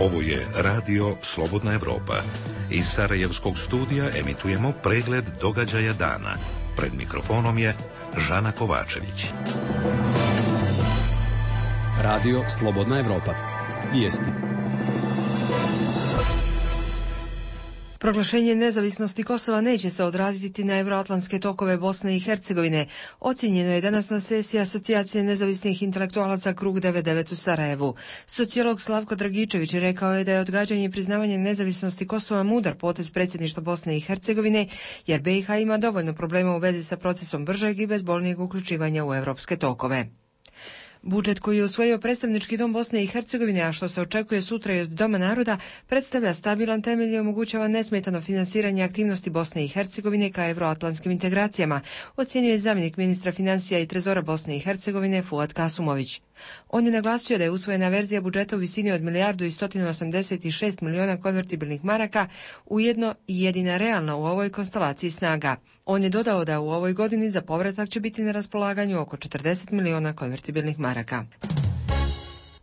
Ovo je Radio Slobodna Evropa. Iz Sarajevskog studija emitujemo pregled događaja dana. Pred mikrofonom je Žana Kovačević. Radio Slobodna Evropa. Vijesti. Proglašenje nezavisnosti Kosova neće se odraziti na euroatlantske tokove Bosne i Hercegovine. Ocijenjeno je danas na sesiji Asocijacije nezavisnih intelektualaca Krug 99 u Sarajevu. Sociolog Slavko Dragičević rekao je da je odgađanje i priznavanje nezavisnosti Kosova mudar potez predsjedništva Bosne i Hercegovine, jer BiH ima dovoljno problema u vezi sa procesom bržeg i bezbolnijeg uključivanja u europske tokove. Budžet koji je usvojio predstavnički dom Bosne i Hercegovine, a što se očekuje sutra i od Doma naroda, predstavlja stabilan temelj i omogućava nesmetano finansiranje aktivnosti Bosne i Hercegovine ka euroatlantskim integracijama, ocjenjuje zamjenik ministra financija i trezora Bosne i Hercegovine Fuad Kasumović. On je naglasio da je usvojena verzija budžeta u visini od 1.186 miliona konvertibilnih maraka, ujedno i jedina realna u ovoj konstelaciji snaga. On je dodao da u ovoj godini za povratak će biti na raspolaganju oko 40 miliona konvertibilnih maraka.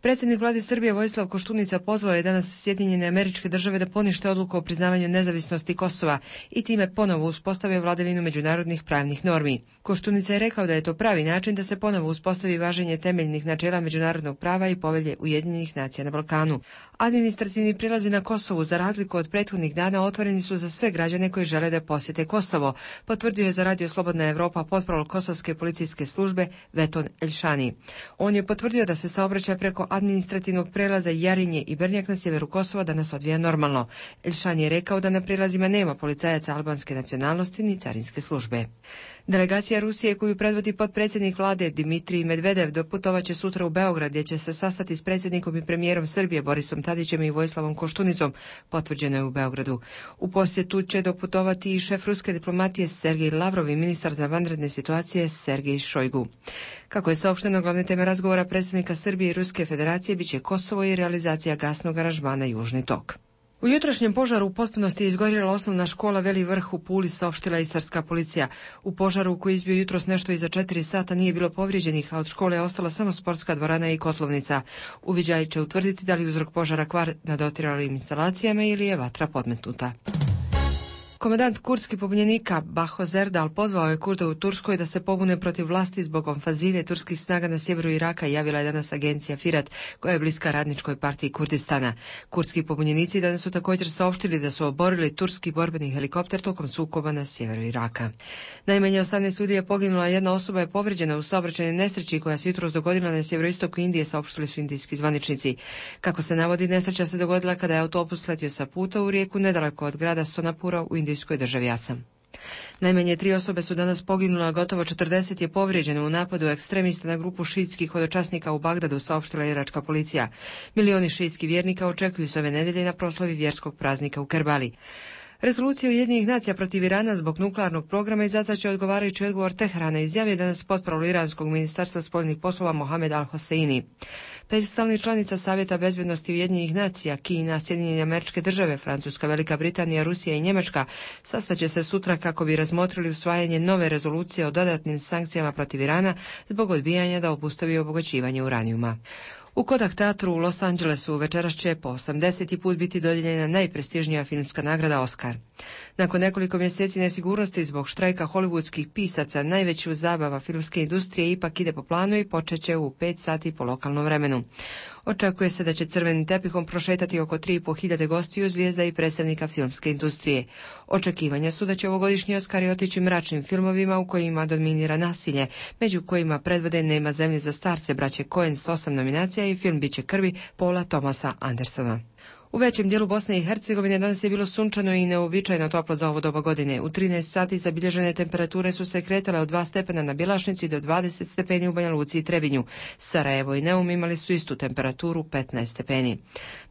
Predsjednik vlade Srbije Vojislav Koštunica pozvao je danas Sjedinjene Američke Države da ponište odluku o priznavanju nezavisnosti Kosova i time ponovo uspostave vladavinu međunarodnih pravnih normi. Koštunica je rekao da je to pravi način da se ponovo uspostavi važenje temeljnih načela međunarodnog prava i povelje Ujedinjenih nacija na Balkanu. Administrativni prelazi na Kosovu, za razliku od prethodnih dana, otvoreni su za sve građane koji žele da posjete Kosovo, potvrdio je za Radio Slobodna Evropa potprolog Kosovske policijske službe Veton Elšani. On je potvrdio da se saobraćaj preko administrativnog prelaza Jarinje i Brnjak na sjeveru Kosova danas odvija normalno. Elšan je rekao da na prelazima nema policajaca albanske nacionalnosti ni carinske službe. Delegacija Rusije koju predvodi potpredsjednik vlade Dimitrij Medvedev doputovaće sutra u Beograd, gdje će se sastati s predsjednikom i premijerom Srbije Borisom Tadićem i Vojislavom Koštunicom, potvrđeno je u Beogradu. U posjetu će doputovati i šef ruske diplomatije Sergej Lavrov i ministar za vanredne situacije Sergej Šojgu. Kako je saopšteno, glavne teme razgovora predsjednika Srbije i Ruske federacije biće Kosovo i realizacija gasnog aranžmana Južni tok. U jutrošnjem požaru u potpunosti je izgorjela osnovna škola Veli Vrh u Puli, saopštila istarska policija. U požaru koji je izbio jutros nešto iza 4 sata nije bilo povrijeđenih, a od škole je ostala samo sportska dvorana i kotlovnica. Uviđaji će utvrditi da li uzrok požara kvar na dotrajalim instalacijama ili je vatra podmetnuta. Komandant kurdskih pobunjenika Baho Zerdal pozvao je Kurde u Turskoj da se pobune protiv vlasti zbog ofanzive turskih snaga na sjeveru Iraka, javila je danas agencija Firat, koja je bliska radničkoj partiji Kurdistana. Kurdski pobunjenici danas su također saopštili da su oborili turski borbeni helikopter tokom sukoba na sjeveru Iraka. Najmanje 18 ljudi je poginula, jedna osoba je povrijeđena u saobraćajnoj nesreći koja se jutros dogodila na sjeveroistoku Indije, saopštili su indijski zvaničnici. Kako se navodi, nesreća se dogodila kada je autobus letio sa puta u rijeku nedaleko od grada Sonapura u indijskoj državi Asam. Najmanje 3 osobe su danas poginule, a gotovo 40 je povrijeđeno u napadu ekstremista na grupu šiitskih hodočasnika u Bagdadu, saopštila iračka policija. Milioni šiitskih vjernika očekuju se ove nedelje na proslavi vjerskog praznika u Kerbali. Rezolucija Ujedinjenih nacija protiv Irana zbog nuklearnog programa izazvaće odgovarajući odgovor Teherana, izjavio danas potprolog iranskog ministarstva spoljnih poslova Mohamed Al-Hoseini. 5 stalnih članica Savjeta bezbednosti Ujedinjenih nacija, Kina, Sjedinjene Američke Države, Francuska, Velika Britanija, Rusija i Njemačka sastaće se sutra kako bi razmotrili usvajanje nove rezolucije o dodatnim sankcijama protiv Irana zbog odbijanja da obustavi obogaćivanje uranijuma. U Kodak teatru u Los Angelesu večeras će po 80. put biti dodijeljena najprestižnija filmska nagrada Oscar. Nakon nekoliko mjeseci nesigurnosti zbog štrajka hollywoodskih pisaca, najveću zabava filmske industrije ipak ide po planu i počet će u 5 sati po lokalnom vremenu. Očekuje se da će crvenim tepihom prošetati oko 3.500 gostiju, zvijezda i predstavnika filmske industrije. Očekivanja su da će ovogodišnji Oskari otići mračnim filmovima u kojima dominira nasilje, među kojima predvode Nema zemlje za starce braće Coen s 8 nominacija i film Biće krvi Paula Thomasa Andersona. U većem dijelu Bosne i Hercegovine danas je bilo sunčano i neuobičajeno toplo za ovo doba godine. U 13 sati zabilježene temperature su se kretale od 2 stepena na Bjelašnici do 20 stepeni u Banja Luci i Trebinju. Sarajevo i Neum imali su istu temperaturu, 15 stepeni.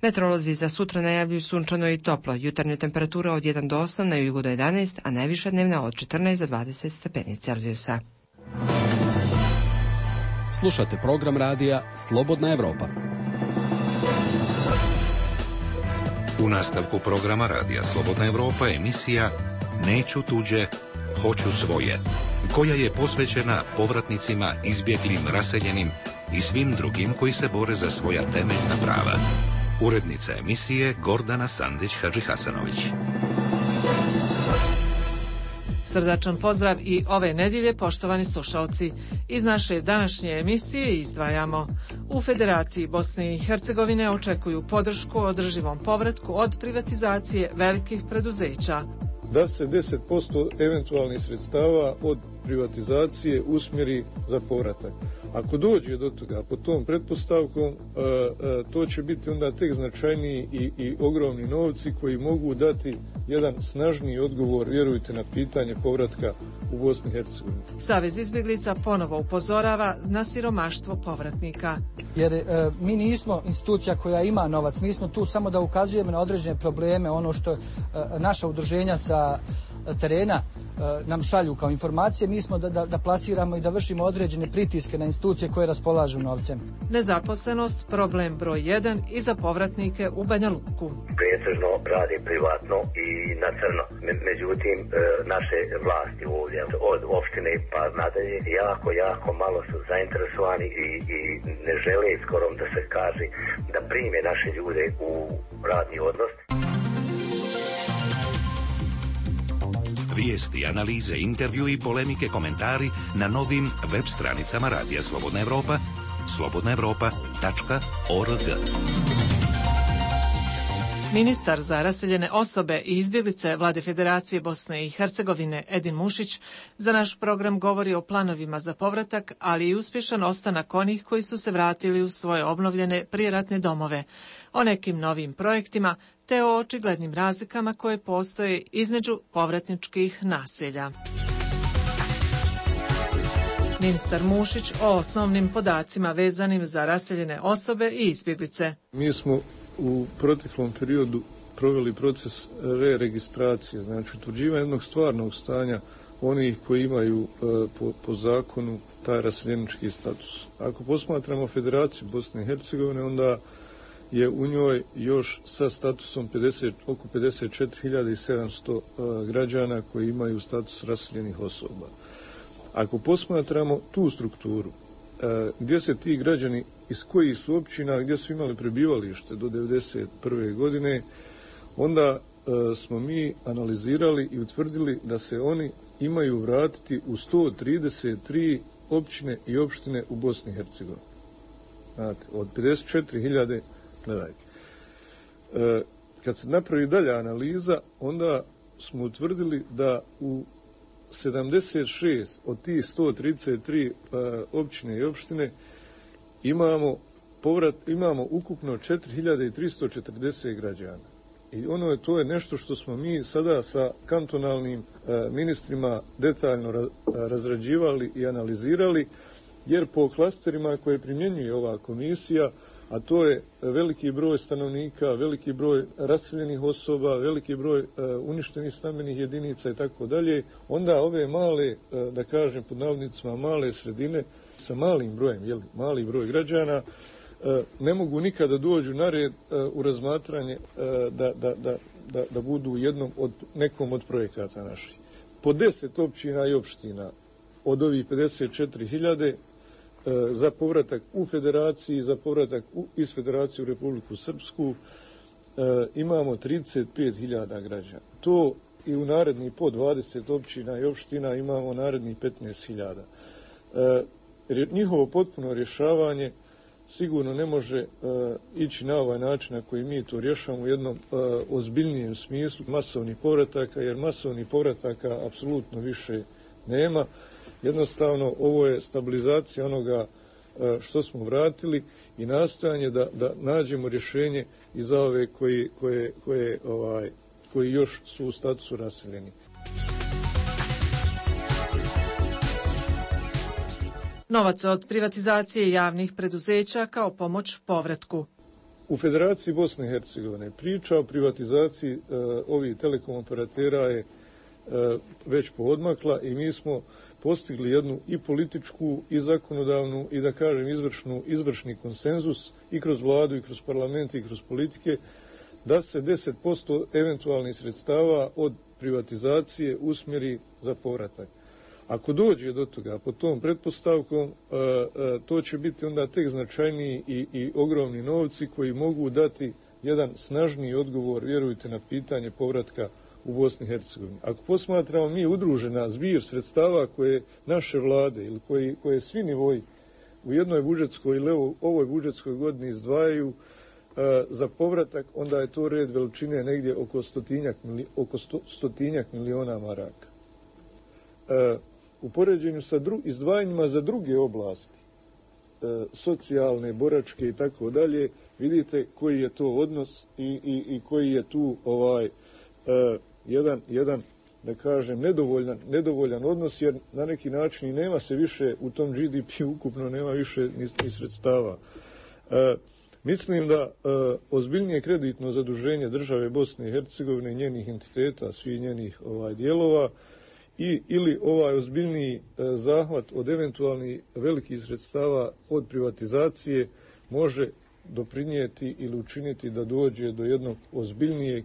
Meteorolozi za sutra najavljuju sunčano i toplo. Jutarnja temperatura od 1 do 8, na jugu do 11, a najviša dnevna od 14 do 20 stepeni Celzijusa. Slušate program radija Slobodna Evropa. U nastavku programa Radija Slobodna Evropa emisija Neću tuđe, hoću svoje, koja je posvećena povratnicima, izbjeglim, raseljenim i svim drugim koji se bore za svoja temeljna prava. Urednica emisije Gordana Sandić-Hadžihasanović. Srdačan pozdrav i ove nedjelje, poštovani slušalci. Iz naše današnje emisije izdvajamo: u Federaciji Bosne i Hercegovine očekuju podršku održivom povratku od privatizacije velikih preduzeća. Da se 10% eventualnih sredstava od privatizacije usmjeri za povratak. Ako dođe do toga, po tom pretpostavkom, to će biti onda tek značajniji i ogromni novci koji mogu dati jedan snažniji odgovor, vjerujte, na pitanje povratka u Bosni i Hercegovini. Savez izbjeglica ponovo upozorava na siromaštvo povratnika. Jer mi nismo institucija koja ima novac, mi smo tu samo da ukazujemo na određene probleme, ono što naša udruženja sa terena nam šalju kao informacije, mi smo da plasiramo i da vršimo određene pritiske na institucije koje raspolažu novcem. Nezaposlenost, problem broj 1 i za povratnike u Banja Luku. Pretežno radi privatno i na crno. Međutim, naše vlasti ovdje, od opštine pa nadalje, jako malo su zainteresovani i ne žele skoro da se kaže da prime naše ljude u radni odnos. Vijesti, analize, intervju i polemike, komentari na novim web stranicama Radija Slobodna Evropa, slobodnaevropa.org. Ministar za raseljene osobe i izbjeglice Vlade Federacije Bosne i Hercegovine Edin Mušić za naš program govori o planovima za povratak, ali i uspješan ostanak onih koji su se vratili u svoje obnovljene prijeratne domove, o nekim novim projektima te o očiglednim razlikama koje postoje između povratničkih naselja. Ministar Mušić o osnovnim podacima vezanim za raseljene osobe i izbjeglice. Mi smo u proteklom periodu proveli proces re-registracije, znači utvrđivanja jednog stvarnog stanja onih koji imaju po zakonu taj raseljenički status. Ako posmatramo Federaciju Bosne i Hercegovine, onda je u njoj još sa statusom oko 54.700 građana koji imaju status raseljenih osoba. Ako posmatramo tu strukturu, gdje se ti građani iz kojih su općina, gdje su imali prebivalište do 1991. godine, onda smo mi analizirali i utvrdili da se oni imaju vratiti u 133 općine i opštine u Bosni i Hercegovini. Znate, od 54.000, gledajte. Kad se napravi dalja analiza, onda smo utvrdili da u 76 od tih 133 općine i opštine imamo ukupno 4.340 građana. I to je nešto što smo mi sada sa kantonalnim ministrima detaljno razrađivali i analizirali, jer po klasterima koje primjenjuje ova komisija, a to je veliki broj stanovnika, veliki broj raseljenih osoba, veliki broj uništenih stambenih jedinica i tako dalje, onda ove male, da kažem pod navodnicima, male sredine sa malim brojem, mali broj građana, ne mogu nikada dođu na red u razmatranje da budu nekom od projekata naših. Po 10 općina i opština od ovih 54.000 za povratak u Federaciji, za povratak iz Federacije u Republiku Srpsku imamo 35.000 građana. To i u narednih po 20 općina i opština imamo narednih 15.000. Njihovo potpuno rješavanje sigurno ne može ići na ovaj način na koji mi to rješavamo u jednom ozbiljnijem smislu masovnih povrataka, jer masovnih povrataka apsolutno više nema. Jednostavno, ovo je stabilizacija onoga što smo vratili i nastojanje da nađemo rješenje i za ove koji još su u statusu raseljeni. Novac od privatizacije javnih preduzeća kao pomoć povratku. U Federaciji Bosne i Hercegovine priča o privatizaciji ovih telekom operatera je već poodmakla i mi smo postigli jednu i političku i zakonodavnu i da kažem izvršni konsenzus i kroz vladu i kroz parlament i kroz politike da se 10% eventualnih sredstava od privatizacije usmjeri za povratak. Ako dođe do toga, po tom pretpostavkom, to će biti onda tek značajniji i ogromni novci koji mogu dati jedan snažniji odgovor, vjerujte, na pitanje povratka u Bosni i Hercegovini. Ako posmatramo mi udružena zbir sredstava koje naše vlade ili koje svi nivoji u jednoj budžetskoj ili ovoj budžetskoj godini izdvajaju za povratak, onda je to red veličine negdje oko stotinjak miliona maraka. U poređenju sa izdvajanjima za druge oblasti, socijalne, boračke i tako dalje, vidite koji je to odnos i koji je tu jedan, da kažem, nedovoljan odnos, jer na neki način i nema se više u tom GDP ukupno, nema više ni sredstava. Mislim da ozbiljnije kreditno zaduženje države Bosne i Hercegovine i njenih entiteta, svih njenih dijelova, ili ozbiljniji zahvat od eventualnih velikih sredstava od privatizacije može doprinijeti ili učiniti da dođe do jednog ozbiljnijeg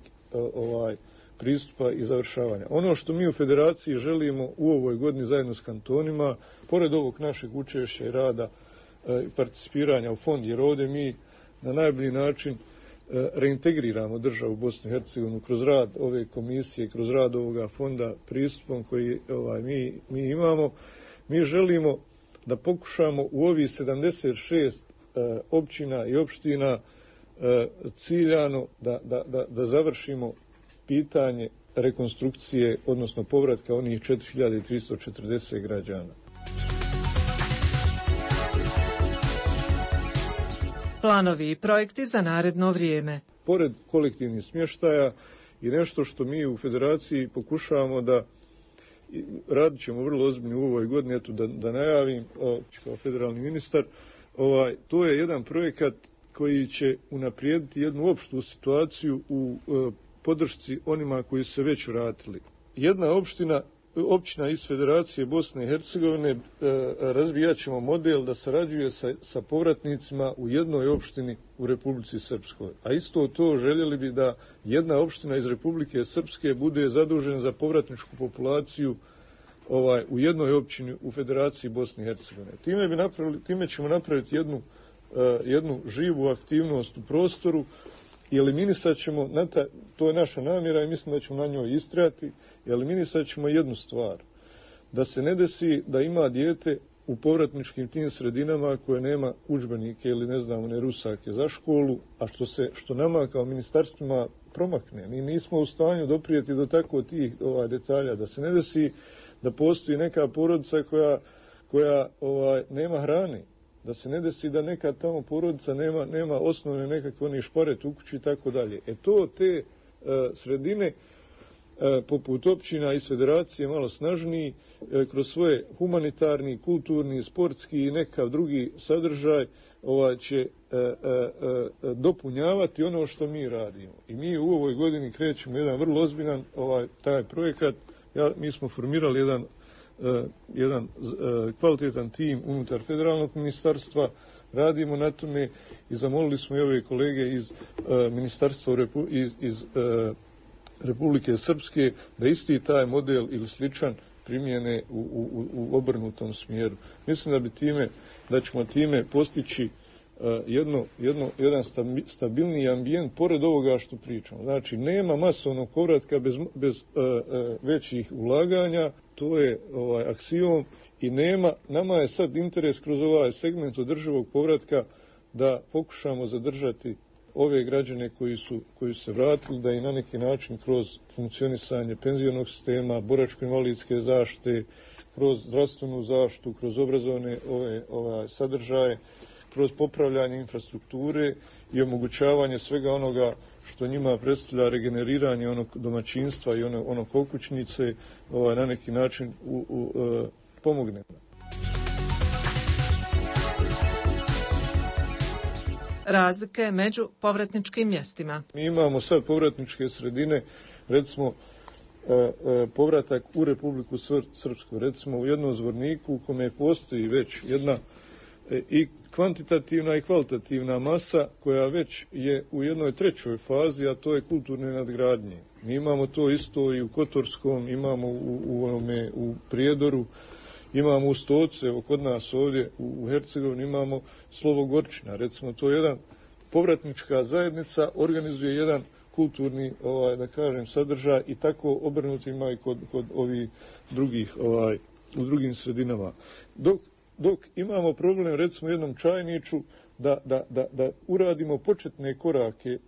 pristupa i završavanja. Ono što mi u Federaciji želimo u ovoj godini zajedno s kantonima, pored ovog našeg učešća i rada i participiranja u fond, jer ovdje mi na najbolji način reintegriramo državu Bosnu i Hercegovinu kroz rad ove komisije, kroz rad ovoga fonda, pristupom koji mi imamo. Mi želimo da pokušamo u ovih 76 općina i opština ciljano da završimo pitanje rekonstrukcije, odnosno povratka onih 4340 građana. Planovi i projekti za naredno vrijeme. Pored kolektivnih smještaja i nešto što mi u Federaciji pokušavamo da radit ćemo vrlo ozbiljno u ovoj godini, eto da najavim kao federalni ministar, to je jedan projekat koji će unaprijediti jednu opštu situaciju u podršci onima koji su se već vratili. Jedna općina iz Federacije Bosne i Hercegovine razvijat ćemo model da sarađuje sa povratnicima u jednoj opštini u Republici Srpskoj. A isto to željeli bi da jedna opština iz Republike Srpske bude zadužena za povratničku populaciju u jednoj općini u Federaciji Bosne i Hercegovine. Time ćemo napraviti jednu živu aktivnost u prostoru i eliminisat ćemo, to je naša namjera i mislim da ćemo na njoj istrajati, eliminisat ćemo jednu stvar. Da se ne desi da ima dijete u povratničkim tim sredinama koje nema udžbenike ili ne rusake za školu, a što nama kao ministarstvima promakne. Mi nismo u stanju doprijeti do tako tih detalja. Da se ne desi da postoji neka porodica koja nema hrane. Da se ne desi da neka tamo porodica nema osnovne nekakve šparet u kući i tako dalje. Te sredine poput općina iz Federacije malo snažniji, kroz svoje humanitarni, kulturni, sportski i nekav drugi sadržaj će dopunjavati ono što mi radimo. I mi u ovoj godini krećemo jedan vrlo ozbiljan taj projekat. Mi smo formirali jedan kvalitetan tim unutar federalnog ministarstva, radimo na tome i zamolili smo i ove kolege iz ministarstva iz Republike Srpske da isti taj model ili sličan primjene u obrnutom smjeru. Mislim da ćemo time postići jedan stabilniji ambijent pored ovoga što pričamo. Znači, nema masovnog povratka bez većih ulaganja, to je aksiom i nama je sad interes kroz ovaj segment održivog povratka da pokušamo zadržati ove građane koji su se vratili, da i na neki način kroz funkcionisanje penzionog sistema, boračko-invalidske zaštite, kroz zdravstvenu zaštitu, kroz obrazovne sadržaje, kroz popravljanje infrastrukture i omogućavanje svega onoga što njima predstavlja regeneriranje onog domaćinstva i onog okućnice, na neki način pomogne. Razlike među povratničkim mjestima. Mi imamo sad povratničke sredine, recimo povratak u Republiku Srpsku, recimo u jednom Zvorniku u kome postoji već jedna i kvantitativna i kvalitativna masa koja već je u jednoj trećoj fazi, a to je kulturne nadgradnje. Mi imamo to isto i u Kotorskom, imamo u Prijedoru, imamo u Stocu, evo kod nas ovdje u Hercegovini imamo Slovo Gorčina. Recimo, to je jedan povratnička zajednica organizuje jedan kulturni, da kažem, sadržaj i tako obrnuto ima i kod ovih drugih, u drugim sredinama. Dok imamo problem, recimo, jednom Čajniću, da uradimo početne korake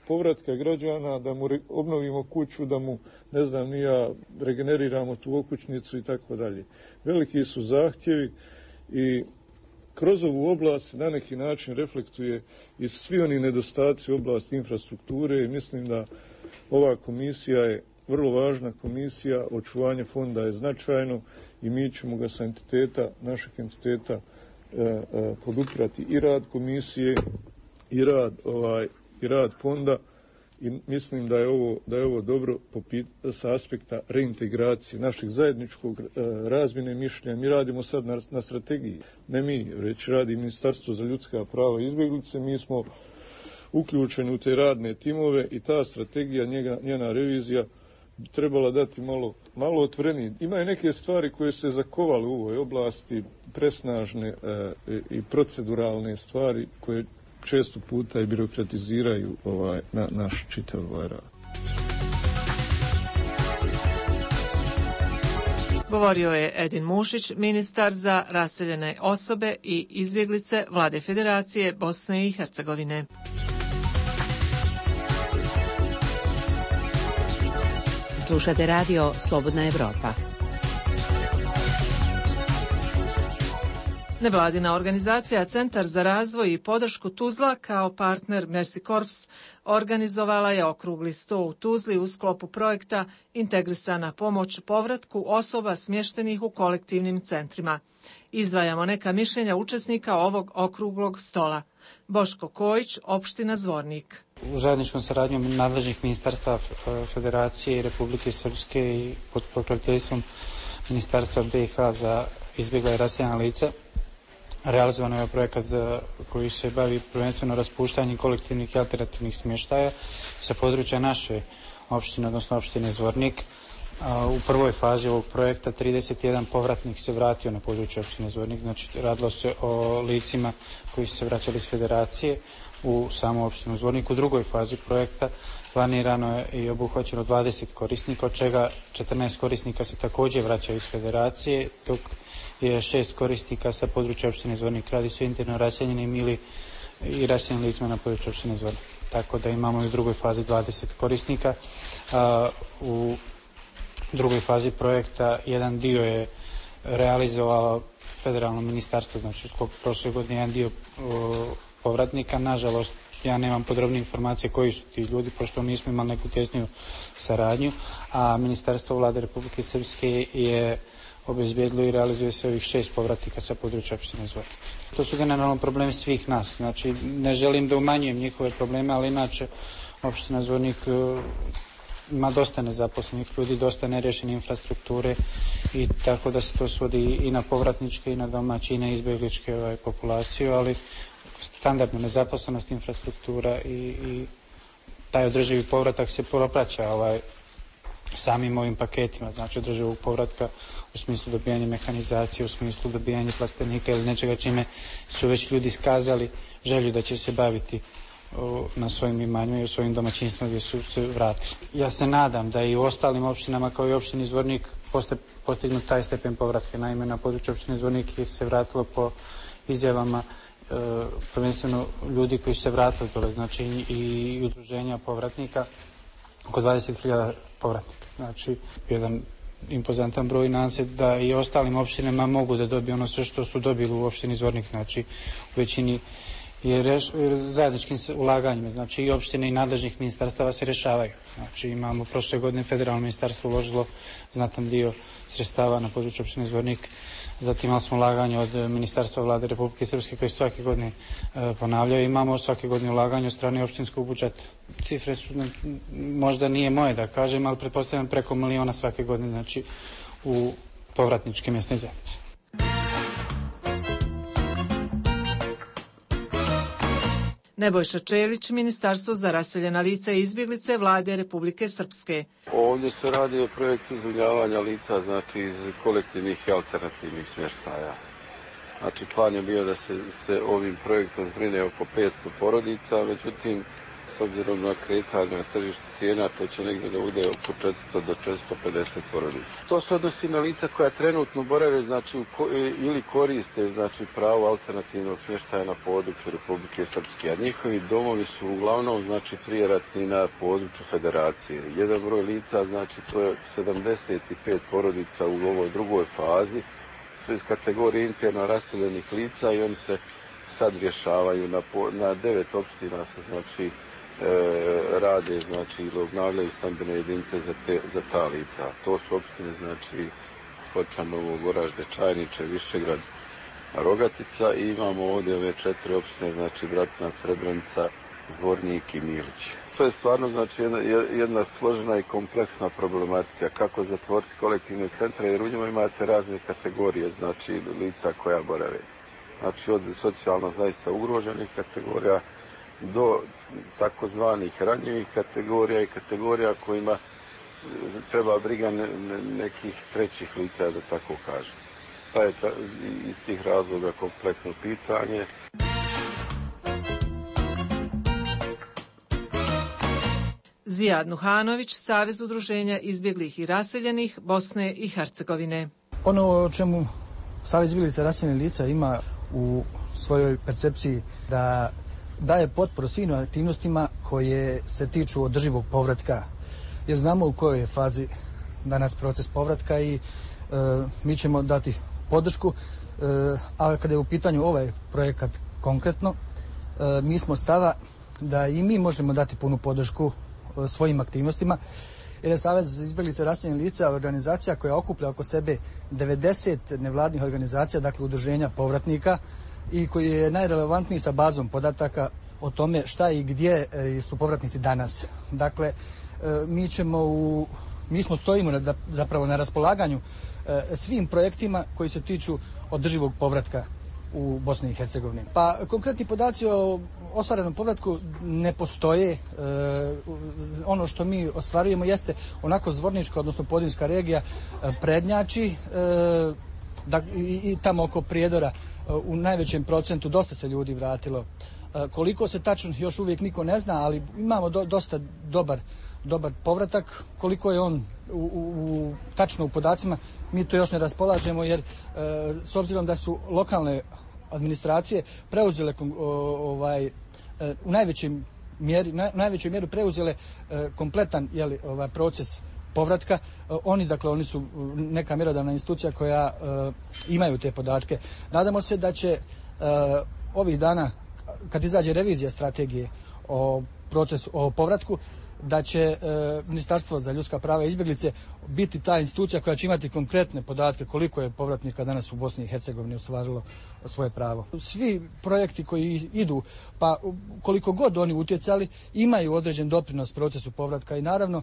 povratka građana, da mu obnovimo kuću, da mu, ne znam, regeneriramo tu okućnicu i tako dalje. Veliki su zahtjevi i kroz ovu oblast na neki način reflektuje i svi oni nedostaci u oblasti infrastrukture i mislim da ova komisija je vrlo važna komisija, očuvanje fonda je značajno i mi ćemo ga sa našeg entiteta podupirati i rad komisije i rad fonda i mislim da je ovo dobro sa aspekta reintegracije našeg zajedničkog razmjene mišljenja. Mi radimo sad na strategiji, ne mi, već radi Ministarstvo za ljudska prava i izbjeglice, mi smo uključeni u te radne timove i ta strategija, njena revizija bi trebala dati malo otvorenije. Imaju neke stvari koje se zakovale u ovoj oblasti, presnažne i proceduralne stvari koje često puta i birokratiziraju naš čitav rad. Govorio je Edin Mušić, ministar za raseljene osobe i izbjeglice Vlade Federacije Bosne i Hercegovine. Slušate radio Slobodna Evropa. Nevladina organizacija Centar za razvoj i podršku Tuzla kao partner Mercy Corps organizovala je okrugli sto u Tuzli u sklopu projekta Integrisana pomoć povratku osoba smještenih u kolektivnim centrima. Izdvajamo neka mišljenja učesnika ovog okruglog stola. Boško Kojić, opština Zvornik. U zajedničkom saradnjom nadležnih ministarstva Federacije i Republike Srpske i pod pokroviteljstvom Ministarstva BiH za izbjegla i raseljena lica realizovan je projekat koji se bavi prvenstveno raspuštanjem kolektivnih i alternativnih smještaja sa područja naše opštine, odnosno opštine Zvornik. U prvoj fazi ovog projekta 31 povratnik se vratio na područje opštine Zvornik, znači radilo se o licima koji su se vraćali iz Federacije u samu opštinu Zvornik. U drugoj fazi projekta planirano je i obuhvaćeno 20 korisnika, od čega 14 korisnika se također vraća iz Federacije, dok je 6 korisnika sa područja opštine Zvornik. Radi se o interno raseljenim ili i raseljenim licima na području opštine Zvornik. Tako da imamo i u drugoj fazi 20 korisnika. U drugoj fazi projekta jedan dio je realizovalo federalno ministarstvo, znači u sklopu prošle godine jedan dio povratnika. Nažalost, ja nemam podrobne informacije koji su ti ljudi, pošto nismo imali neku tjesniju saradnju, a Ministarstvo Vlade Republike Srpske je obezbijedilo i realizuje se ovih 6 povratnika sa područja opštine Zvornik. To su generalno problemi svih nas, znači ne želim da umanjujem njihove probleme, ali inače opština Zvornik ima dosta nezaposlenih ljudi, dosta nerješene infrastrukture i tako da se to svodi i na povratničke i na domaće i na izbjegličke populaciju, ali standardna nezaposlenost, infrastruktura i taj održivi povratak se propraća samim ovim paketima, znači održivog povratka u smislu dobijanja mehanizacije, u smislu dobijanja plastenika ili nečega čime su već ljudi iskazali želju da će se baviti na svojim imanjima i u svojim domaćinstvima gdje su se vratili. Ja se nadam da i u ostalim opštinama kao i opštini Zvornik postignut taj stepen povratka. Naime, na području opštine Zvornik se vratilo po izjavama prvenstveno ljudi koji su se vratili dole, znači i udruženja povratnika, oko 20.000 povratnika. Znači, jedan impozantan broj. Nadam se da i ostalim opštinama mogu da dobiju ono sve što su dobili u opštini Zvornik, znači u većini je zajedničkim ulaganjima, znači i opštine i nadležnih ministarstava se rešavaju. Znači imamo prošle godine federalno ministarstvo uložilo znatan dio sredstava na području opštine Zvornik. Zatim imali smo ulaganje od Ministarstva Vlade Republike Srpske koje svake godine ponavljaju. Imamo svake godine ulaganje od strane opštinskog budžeta. Cifre su, možda nije moje da kažem, ali pretpostavljam preko 1 miliona svake godine, znači u povratničke mjesne zajednice. Nebojša Čelić, Ministarstvo za raseljena lica i izbjeglice Vlade Republike Srpske. Ovdje se radi o projektu zbrinjavanja lica, znači iz kolektivnih i alternativnih smještaja. Znači, plan je bio da se ovim projektom zbrine oko 500 porodica, međutim, s obzirom na kretanje na tržištu cijena, to će negdje da bude oko 400 do 450 porodica. To se odnosi na lica koja trenutno borave, znači, ili koriste, znači, pravo alternativnog smještaja na području Republike Srpske, a njihovi domovi su uglavnom, znači, prijeratni na području Federacije. Jedan broj lica, znači, to je 75 porodica u ovoj drugoj fazi, su iz kategorije interno raseljenih lica i oni se sad rješavaju na 9 opština se, znači, rade, znači, ili obnavljaju stambene jedinice za ta lica. To su opštine, znači, Hočanovo, Goražde, Čajniče, Višegrad, Rogatica i imamo ovdje ove 4 opštine, znači, Bratina, Srebrenica, Zvornik i Milić. To je stvarno, znači, jedna složena i kompleksna problematika kako zatvoriti kolektivne centre, jer u njima imate razne kategorije, znači, lica koja borave. Znači, od socijalno zaista ugroženih kategorija do takozvanih ranjivih kategorija i kategorija kojima treba briga nekih trećih lica, da tako kažem. Pa je iz tih razloga kompleksno pitanje. Zijad Nuhanović, Savez udruženja izbjeglih i raseljenih Bosne i Hercegovine. Ono o čemu Savez izbjeglica i raseljenih lica ima u svojoj percepciji da daje potporu svim aktivnostima koje se tiču održivog povratka. Jer znamo u kojoj je fazi danas proces povratka i mi ćemo dati podršku, a kada je u pitanju ovaj projekat konkretno, mi smo stava da i mi možemo dati punu podršku svojim aktivnostima, jer je Savez izbjeglica i raseljenih lica organizacija koja okuplja oko sebe 90 nevladnih organizacija, dakle udruženja povratnika, i koji je najrelevantniji sa bazom podataka o tome šta i gdje su povratnici danas. Dakle, mi stojimo zapravo na raspolaganju svim projektima koji se tiču održivog povratka u Bosni i Hercegovini. Pa konkretni podaci o ostvarenom povratku ne postoje. Ono što mi ostvarujemo jeste onako Zvornička, odnosno Podinjska regija prednjači i tamo oko Prijedora u najvećem procentu dosta se ljudi vratilo. Koliko se tačno još uvijek niko ne zna, ali imamo dosta dobar povratak. Koliko je on tačno u podacima, mi to još ne raspolažemo, jer s obzirom da su lokalne administracije preuzele u najvećoj mjeri preuzele kompletan proces povratka. Oni su neka mjerodavna institucija koja imaju te podatke. Nadamo se da će ovih dana, kad izađe revizija strategije o povratku, da će Ministarstvo za ljudska prava i izbjeglice biti ta institucija koja će imati konkretne podatke koliko je povratnika danas u Bosni i Hercegovini ostvarilo svoje pravo. Svi projekti koji idu, pa koliko god oni utjecali, imaju određen doprinos procesu povratka i naravno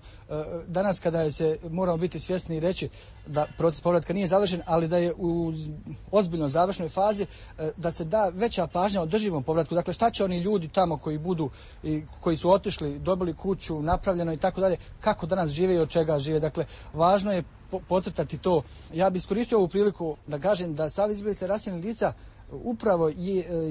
danas kada moramo biti svjesni i reći da proces povratka nije završen, ali da je u ozbiljno završnoj fazi, da se da veća pažnja održivom povratku. Dakle, šta će oni ljudi tamo koji su otišli, dobili kuću, napravljeno i tako dalje, kako danas žive i od čega žive. Dakle, važno je podcrtati to. Ja bih iskoristio ovu priliku da kažem da Savez izbjeglica i raseljenih lica upravo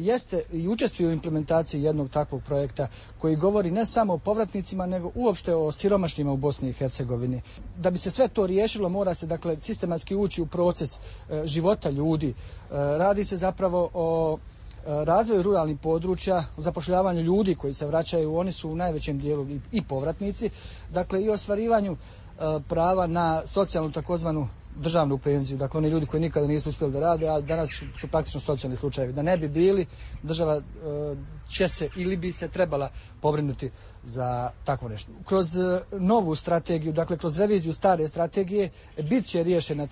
jeste i učestvuje u implementaciji jednog takvog projekta koji govori ne samo o povratnicima, nego uopšte o siromašnima u Bosni i Hercegovini. Da bi se sve to riješilo, mora se dakle sistematski ući u proces života ljudi. Radi se zapravo o razvoju ruralnih područja, o zapošljavanju ljudi koji se vraćaju, oni su u najvećem dijelu i povratnici, dakle i ostvarivanju prava na socijalnu takozvanu državnu penziju, dakle oni ljudi koji nikada nisu uspjeli da rade, a danas su praktično socijalni slučajevi. Da ne bi bili, država će se ili bi se trebala pobrinuti za takvo nešto. Kroz novu strategiju, dakle kroz reviziju stare strategije, bit će riješena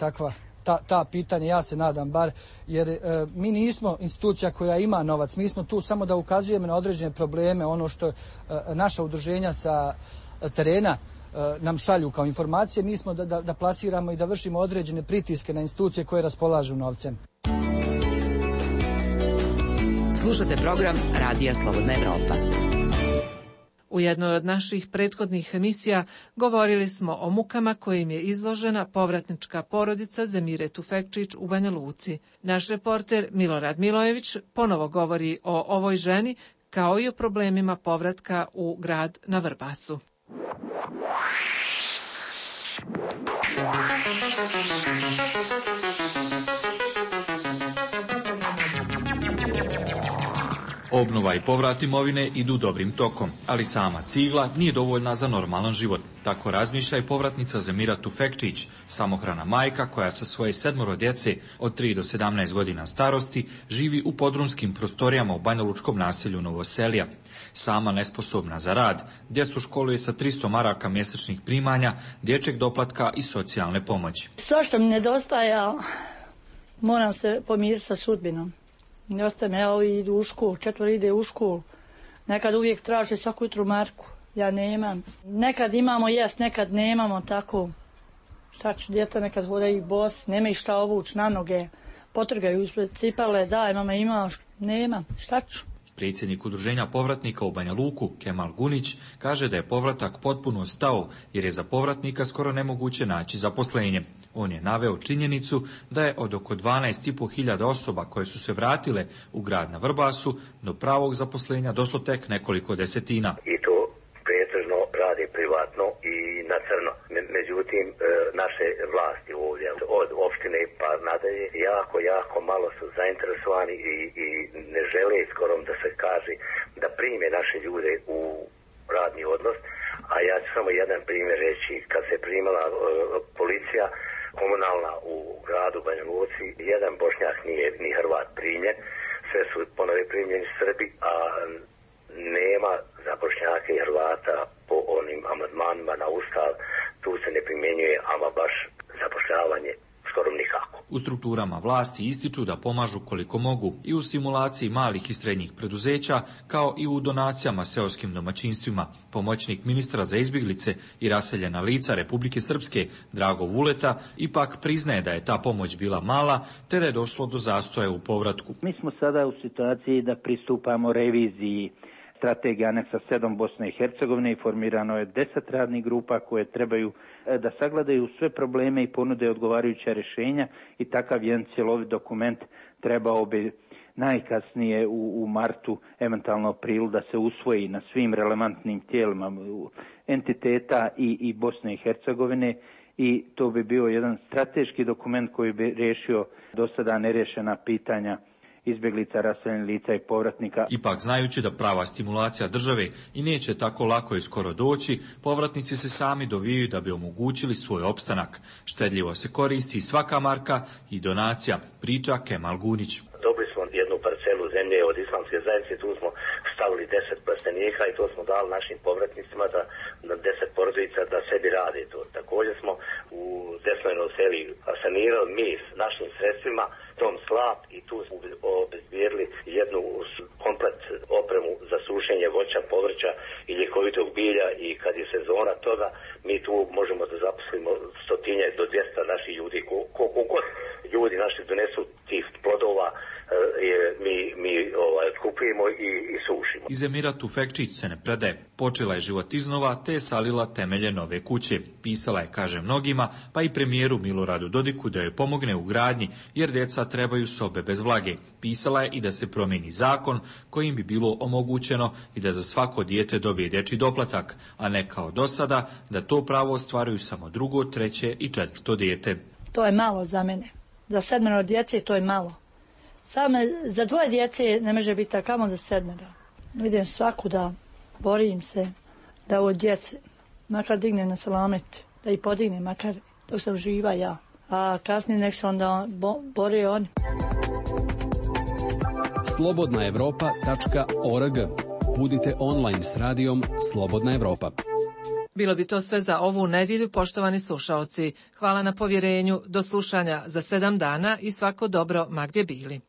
ta pitanja, ja se nadam bar, jer mi nismo institucija koja ima novac, mi smo tu samo da ukazujemo na određene probleme, ono što naša udruženja sa terena nam šalju kao informacije, mi smo da plasiramo i da vršimo određene pritiske na institucije koje raspolažu novcem. Slušate program Radija Slobodna Evropa. U jednoj od naših prethodnih emisija govorili smo o mukama kojim je izložena povratnička porodica Zemire Tufekčić u Banja Luci. Naš reporter Milorad Milojević ponovo govori o ovoj ženi kao i o problemima povratka u grad na Vrbasu. Obnova i povrat imovine idu dobrim tokom, ali sama cigla nije dovoljna za normalan život. Tako razmišlja i povratnica Zemira Tufekčić, samohrana majka koja sa svoje 7 djece od 3 do 17 godina starosti živi u podrumskim prostorijama u banjalučkom naselju Novoselija. Sama nesposobna za rad, djecu školuje sa 300 maraka mjesečnih primanja, dječjeg doplatka i socijalne pomoći. Svašta mi nedostaje, moram se pomiriti sa sudbinom. Ne ostajem, evo idu u školu, 4 ide u školu. Nekad uvijek traže svaku jutru marku, ja nemam. Nekad imamo jest, nekad nemamo, tako. Šta ću, djeta nekad hodaju bos, nema i šta ovući na noge. Potrgaju ispred cipale, daj mama ima, nema, šta ću. Predsjednik udruženja povratnika u Banja Luku, Kemal Gunić, kaže da je povratak potpuno stao jer je za povratnika skoro nemoguće naći zaposlenje. On je naveo činjenicu da je od oko 12.500 osoba koje su se vratile u grad na Vrbasu do pravog zaposlenja došlo tek nekoliko desetina. I to pretežno radi privatno i na crno. Međutim, naše vlasti ovdje od opštine pa nadalje jako malo su zainteresovani i ne žele skoro da se kaže da prime naše ljude u radni odnos. A ja ću samo jedan primjer reći. Kad se primala policija komunalna u gradu Banja Luci, jedan Bošnjak nije ni Hrvat primljen, sve su ponovo primljeni Srbi, a nema za Bošnjake i Hrvata po onim amandmanima na Ustav, tu se ne primjenjuje ama baš zapošljavanje skoro nikako. U strukturama vlasti ističu da pomažu koliko mogu i u stimulaciji malih i srednjih preduzeća, kao i u donacijama seoskim domaćinstvima. Pomoćnik ministra za izbjeglice i raseljena lica Republike Srpske, Drago Vuleta, ipak priznaje da je ta pomoć bila mala, te da je došlo do zastoja u povratku. Mi smo sada u situaciji da pristupamo reviziji strategije aneksa 7 Bosne i Hercegovine i formirano je 10 radnih grupa koje trebaju da sagledaju sve probleme i ponude odgovarajuća rješenja i takav jedan cjelovit dokument trebao bi najkasnije u martu, eventualno aprilu, da se usvoji na svim relevantnim tijelima entiteta i Bosne i Hercegovine i to bi bio jedan strateški dokument koji bi riješio do sada nerješena pitanja izbjeglica, raseljenih lica i povratnika. Ipak, znajući da prava stimulacija države i neće tako lako i skoro doći, povratnici se sami dovijaju da bi omogućili svoj opstanak. Štedljivo se koristi svaka marka i donacija, priča Kemal Gunić. Dobili smo jednu parcelu zemlje od islamske zajednice, tu smo stavili 10 plastenika i to smo dali našim povratnicima da na 10 porodica da sebi rade to. Također smo u desnoj Novoselji sanirali mi s našim sredstvima tom slap i tu smo obezbijedili jednu komplet opremu za sušenje voća, povrća i ljekovitog bilja i kad je sezona toga mi tu možemo da zaposlimo 100 do 200 naših ljudi. Koliko god ljudi naši donesu tih plodova mi kupujemo i sušimo. I Zemira Tufekčić se ne predaje. Počela je život iznova te je salila temelje nove kuće. Pisala je, kaže mnogima, pa i premijeru Miloradu Dodiku da joj pomogne u gradnji jer djeca trebaju sobe bez vlage. Pisala je i da se promijeni zakon kojim bi bilo omogućeno i da za svako dijete dobije dječji doplatak, a ne kao do sada da to pravo ostvaruju samo 2., 3. i 4. dijete. To je malo za mene. Za 7 djece to je malo. Samo za 2 djece ne može biti takamo za 7. Idem svakuda, borim se da ovo djece makar digne na salamet, da ih podigne makar dok sam živa ja. A kasnije nek se onda bore oni. Slobodnaevropa.org. Budite online s radijom Slobodna Evropa. Bilo bi to sve za ovu nedjelju, poštovani slušaoci. Hvala na povjerenju, do slušanja za 7 dana i svako dobro ma gdje bili.